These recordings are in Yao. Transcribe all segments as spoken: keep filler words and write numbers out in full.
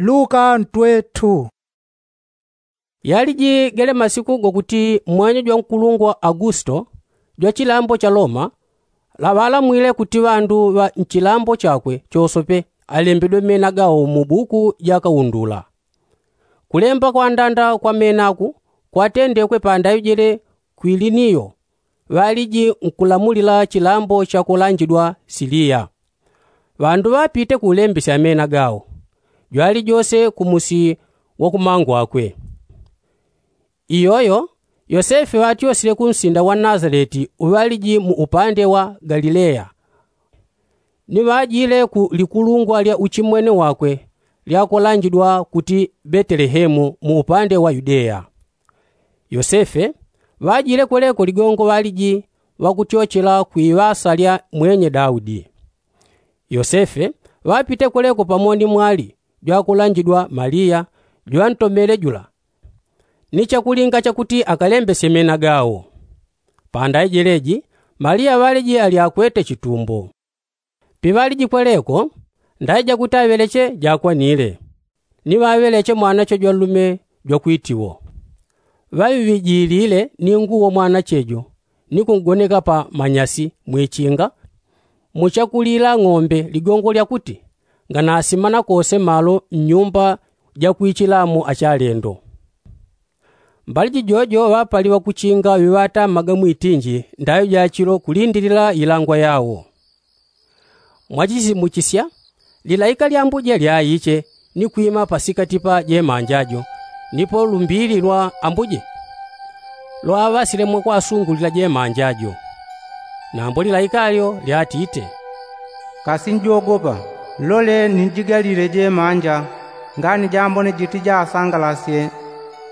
Luka ntwe tu. Yaliji gele masiku gokuti mwenye jwa nkulungwa agusto jwa chilambo cha loma laŵalamwile kuti ŵandu ŵa nchilambo chakwe chosope alembedwe mena gawo mu buku ja kaundula. Kulemba kwandanda kwa menaku kwatendekwe pandaŵi jele kwiliniyo ŵaliji nkulamulila chilambo chakolanjidwa siliya. Ŵandu ŵapite kulembesya mena gawo jwalijose kumusi wakumangwakwe. Iyoyo yosefe ŵatyosile kunsinda wa nazaleti uŵaliji mu upande wa galileya, ni ŵajile ku likulungwa lya uchimwene wakwe lyakolanjidwa kuti betelehemu mu upande wa yudeya. Yosefe ŵajile kweleko ligongo ŵaliji ŵakutyochela kwiŵasa lya mwenye daudi. Yosefe ŵapite kweleko pamo ni mwali jwakulanjidwa maliya jwantomele jula ni chakulinga chakuti akalembesye mena gawo. Pandaijeleji maliya ŵaliji ali akwete chitumbo. Piŵaliji kweleko ndaija kuti aŵeleche jakwanile ni ŵaŵeleche mwanache jwanlume jwakwitiwo. Ŵaŵiŵijilile ni nguwo mwanache jo ni kungoneka pa manyasi mwichinga muchakulila ng'ombe ligongo lyakuti nganasimana kose malo mnyumba jakwichilamo achalendo. Mbali jijojo ŵapali ŵakuchinga ŵiŵatamaga mwitinji ndaŵi jachilo kulindilila ilangwa yawo. Mwachisimuchisya lilaika lya ambuje lyaiche ni kwima pasikati pa jemanja jo nipo lumbili lwa ambuje lwaŵasile mwakwasungulila jemanja jo. Nambo lilaika lyo lyatite, kasi njogopa. Lole ninjigalile jemanja ngani jambone jiti jasangalasye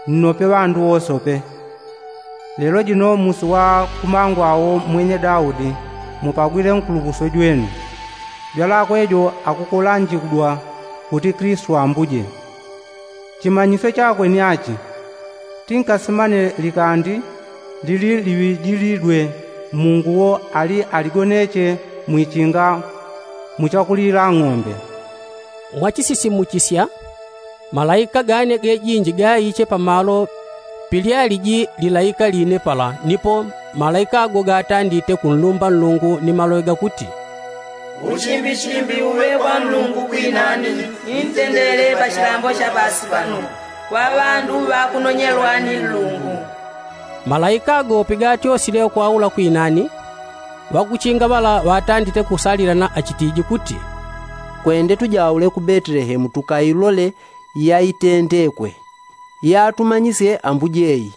nnope ŵandu wosope. Lelo jino musi wa kumangwa wo mwenye daudi mupagwile nkulukuswe jwenu. Jwalakwe jo akukulanjigwa kuti kristu ambuje. Chimanyisyo chakwe ni achi, tinkasimane likandi lili liŵijilidwe mungu wo ali aligoneche mwichinga muchakulila ng'ombe. Mwachisisimuchisya malaika gane gejinji gaiche pamalo pilyaliji lilaika line pala nipo malaika ago gatandite kunlumba nlungu ni maloŵe gakuti, uchimbichimbi uŵe kwa nlungu kwinani ni ntendele pa chilambo cha pasi pano kwa ŵandu ŵakunonyelwa ni nlungu. Malaika ago pigatyosile kwaula kwinani ŵakuchinga ŵala ŵatandite kusalilana achitiji kuti, kwende tujaule ku betelehemu tukailole yaitendekwe yatumanyisye ambuje i.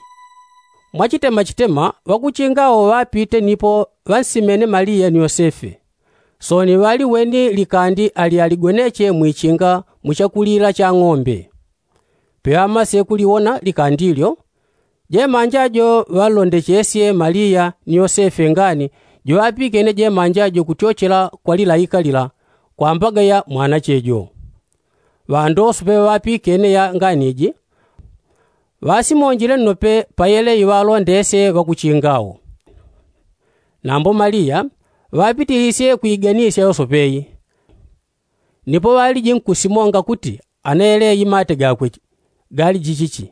Mwachitemachitema ŵakuchinga awo ŵapite nipo ŵansimene maliya ni yosefe. Sooni ŵaliweni likandi ali aligoneche mwichinga muchakulila cha ng'ombe. Piŵamasye kuliwona likandi lyo jemanja jo ŵanlondechesye maliya ni yosefe ngani jiŵapikene jemanja jo kutyochela kwa lilaika lila kwambaga ya mwanache jo. Ŵandoso peŵapikene ya ngani ji ŵasimonjile nnope payele iŵalondesye ŵakuchinga wo. Nambo maliya ŵapitilisye kwiganisya yosope i. Nipo ŵaliji nkusimonga kuti anayele imate gakwe gali jichichi.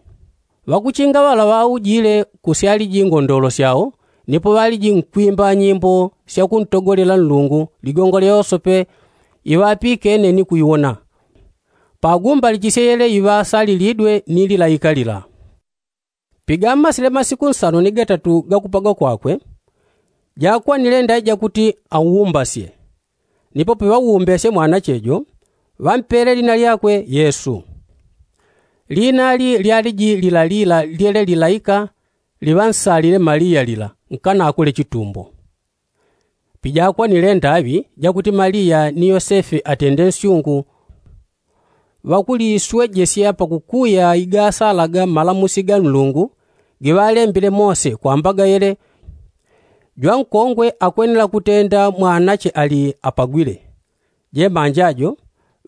Ŵakuchinga ŵala ŵaujile kusyaliji ngondolo syao nipo ŵaliji nkwimba nyimbo syakuntogolela nlungu ligongo lya yosope iŵapikene ni kuiwona. Pagumbalichisye yele iŵasalilidwe ni lilaika lila. Pigamasile masiku nsano ni gatatu gakupagwa kwakwe jakwanile ndaija kuti aumbasye. Nipo piŵaumbesye mwanache jo ŵampele lina lyakwe yesu. Lina li lyaliji lilalila lyele lilaika liŵansalile maliya lila nkanakule chitumbo. Pijakwanile ndaŵi jakuti maliya ni yosefe atende nsyungu ŵakuliswejesya pakukuya igasalaga malamusi ga nlungu giŵalembile mose kwambaga yele jwankongwe akwenela kutenda mwanache ali apagwile. Jemanja jo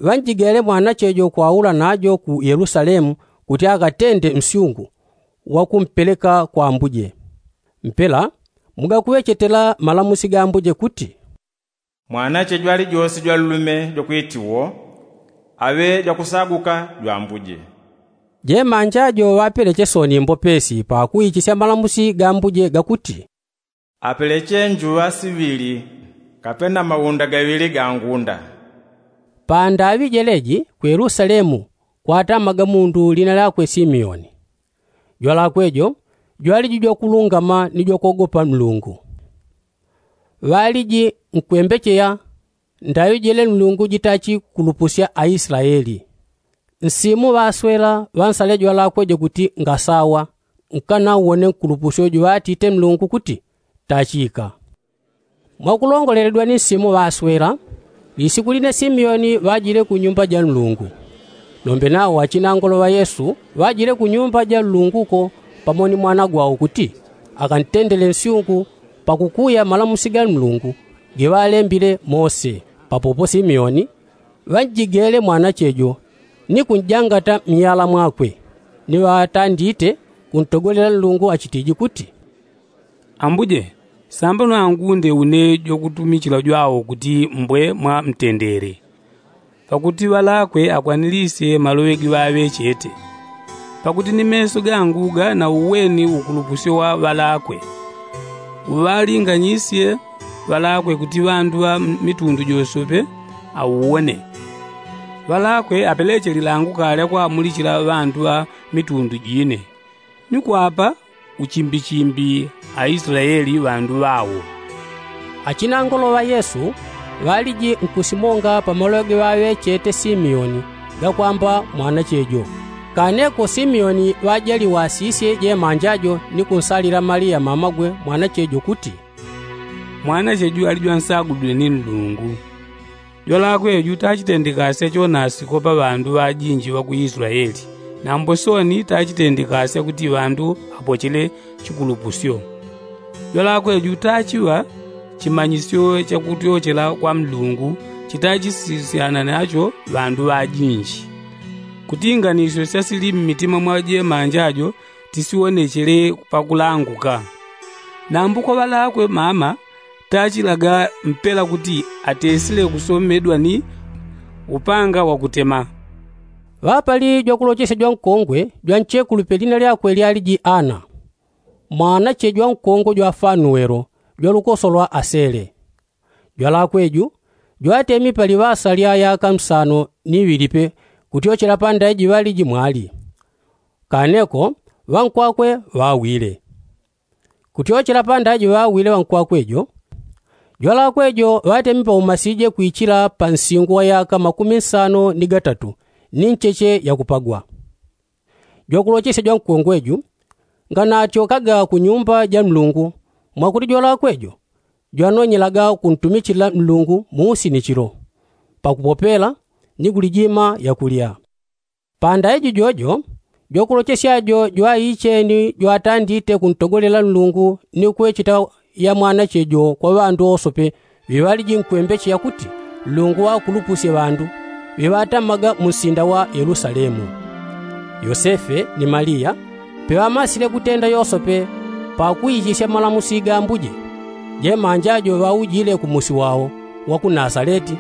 ŵanjigele mwanache jo kwaula najo ku yelusalemu kuti akatende nsyungu wakumpeleka kwa ambuje. Mpela mugakuŵechetela malamusi ga ambuje kuti, mwanache jwalijose jwanlume jwakwiti wo Aŵe jwakusaguka jwambuje. Jemanja jo ŵapeleche soni mbopesi pakuichisya malamusi ga mbuje gakuti, apeleche njuŵa siŵili kapena maunda gaŵili ga ngunda. Pandaŵi jeleji ku yelusalemu kwatamaga mundu lina lyakwe simeoni. Jwalakwe jo jwaliji jwakulungama ni jwakogopa nlungu. Ŵaliji nkwembecheya ndaŵi jele nlungu jitachi kulupusya aislaeli. Nsimu ŵaswela ŵansale jwalakwe jo kuti ngasawa. Nkanauwone nkulupusyo juŵatite nlungu kuti tachika. Mwakulongoleledwa ni nsimu ŵaswela, lisiku line simeoni ŵajile ku nyumba ja nlungu. Nombe nawo achinangolo ŵa yesu ŵajile ku nyumba ja nlungu ko pamo ni mwana gwawo kuti akantendele nsyungu pakukuya malamusi ga nlungu giŵalembile mose. Papopo simeoni ŵanjigele mwanache jo ni kunjangata myala mwakwe. Ni ŵatandite kuntogolela nlungu achitiji kuti, ambuje, sambano angunde une jwakutumichila jwawo kuti mbwe mwa mtendele. Pakuti ŵalakwe akwanilisye maloŵe giŵaŵe chete. Pakuti ni meso gangu ganauweni ukulupusyo wa ŵalakwe. Uŵalinganyisye ŵalakwe kuti ŵandu ŵa mitundu josope auwone. Ŵalakwe apeleche lilangu kalya kwamulichila ŵandu ŵa mitundu jine. Ni kwapa uchimbichimbi aislaeli ŵandu ŵawo. Achinangolo ŵa yesu ŵaliji nkusimonga pamaloŵe giŵaŵe chete simeoni gakwamba mwanache jo. Kaneko simeoni ŵajaliwasisye jemanja jo ni kunsalila malia mamagwe mwanache jo kuti, mwanache jo ali jwansagulidwe ni nlungu. Jwalakwe ju tachitendekasya chonasiko pa ŵandu ŵajinji ŵa ku islaeli. Nambo soni tachitendekasya kuti ŵandu apochele chikulupusyo. Jwalakwe ju tachiŵa chimanyisyo chakutyochela kwa nlungu chitachisisyana nacho ŵandu ŵajinji. Kuti inganisyo syasili mmitima mwa jemanja jo tisiwonechele pakulanguka. Nambo kwa ŵalakwe mama tachilaga mpela kuti atesile kusomedwa ni upanga wakutema. Ŵapali jwakulochesya jwankongwe jwanchekulupe lina lyakwe lyaliji ana. Mwanache jwankongwe jwa fanuelo jwalukoso lwa asele. Jwalakwe ju jwatemi pali ŵasa lya yaka msano ni ŵilipe kutyochela pandaiji ŵaliji mwali. Kaneko ŵankwakwe ŵawile. Kutyochela pandaiji ŵawile ŵankwakwe jo jwalakwe jo ŵatemi paumasije kwichila pa nsingu wa yaka makumi nsano ni gatatu ni ncheche yakupagwa. Jwakulochesya jwankongwe ju nganatyokaga ku nyumba ja nlungu mwakuti jwalakwe jo jwanonyelaga kuntumichila nlungu musi ni chilo pakupopela ni kulijima yakulya. Pandaiji jojo jwakulochesya jo jwaicheni jwatandite kuntogolela nlungu ni kwecheta ya mwanache jo kwa ŵandu wosope ŵiŵaliji nkwembeche yakuti nlungu wakulupusye ŵandu ŵiŵatamaga mu nsinda wa yelusalemu. Yosefe ni maliya peŵamasile kutenda yosope pakuichisya malamusi ga ambuje jemanja jo ŵaujile ku musi wawo wa ku nasaleti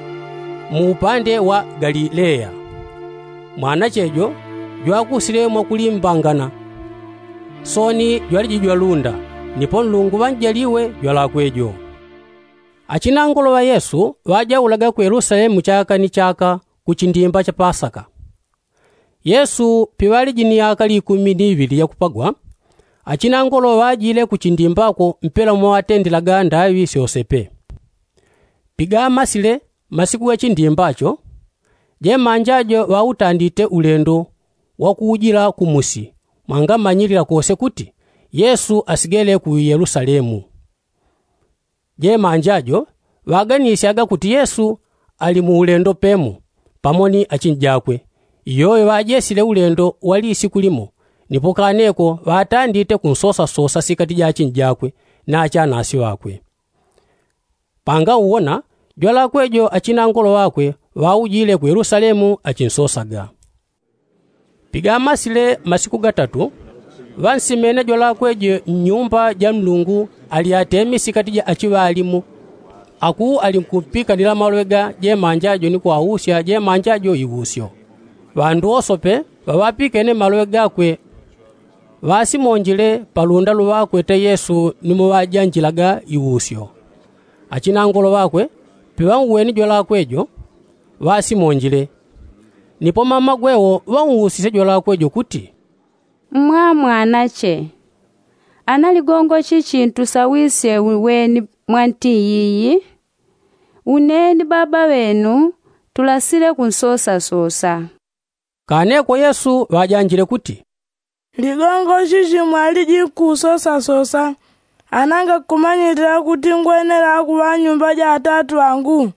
mu upande wa galileya. Mwanache jo jwakusile mwakulimbangana. Soni jwaliji jwalunda nipo nlungu ŵanjaliwe jwalakwe jo. Achinangolo ŵa yesu ŵajaulaga ku yelusalemu chaka ni chaka ku chindimba cha pasaka. Yesu piŵaliji ni yaka likumi ni iŵili yakupagwa achinangolo ŵajile ku chindimbako mpela mwaŵatendelaga ndaŵi syosepe. Pigamasile masiku ga chindimbacho jemanja jo ŵautandite ulendo wakuujila ku musi mwangamanyilila kose kuti yesu asigele ku yelusalemu. Jemanja jo ŵaganisyaga kuti yesu ali mu ulendo pemo pamo ni achinjakwe. Iyoyo ŵajesile ulendo wa lisiku limo nipo kaneko ŵatandite kunsosasosa sikati ja achinjakwe na achanasi ŵakwe. Pangauwona jwalakwe jo achinangolo ŵakwe ŵaujile ku yelusalemu achinsosaga. Pigamasile masiku gatatu ŵansimene jwalakwe jo nnyumba ja nlungu ali atemi sikati ja achiŵalimu. Aku alinkupikanila maloŵe ga jemanja jo ni kuwausya jemanja jo iusyo. Ŵandu wosope ŵaŵapikene maloŵe gakwe ŵasimonjile palunda luŵakwete yesu ni muŵajanjilaga iusyo. Achinangolo ŵakwe piŵauweni jwalakwe jo ŵasimonjile. Nipo mamagwe wo ŵausisye jwalakwe jo kuti, mmwamwanache, ana ligongo chichi ntusawisye uweni mwa nti yiyi? Une ni baba ŵenu tulasile kunsosasosa. Kaneko yesu ŵajanjile kuti, ligongo chichi mwaliji nkusosasosa, ana ngakumanyilila kuti ngwenela kuŵa nyumba ja atatu angu?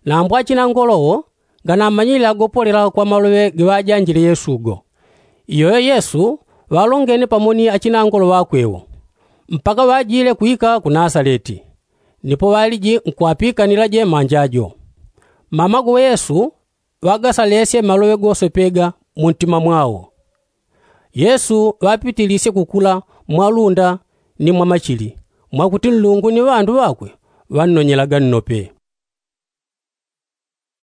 Nambo achinangolo wo nganamanyilila gopolela kwa maloŵe giŵajanjile yesu go. Iyoyo yesu ŵalongene pamo ni achinangolo ŵakwe wo, mpaka ŵajile kwika ku nasaleti. Nipo ŵaliji nkuŵapikanila jemanja jo. Mamago yesu ŵagasalesye maloŵe gosepega muntima mwao. Yesu ŵapitilisye kukula mwa lunda ni mwa machili, mwakuti nlungu ni ŵandu ŵakwe ŵannonyelaga nnope.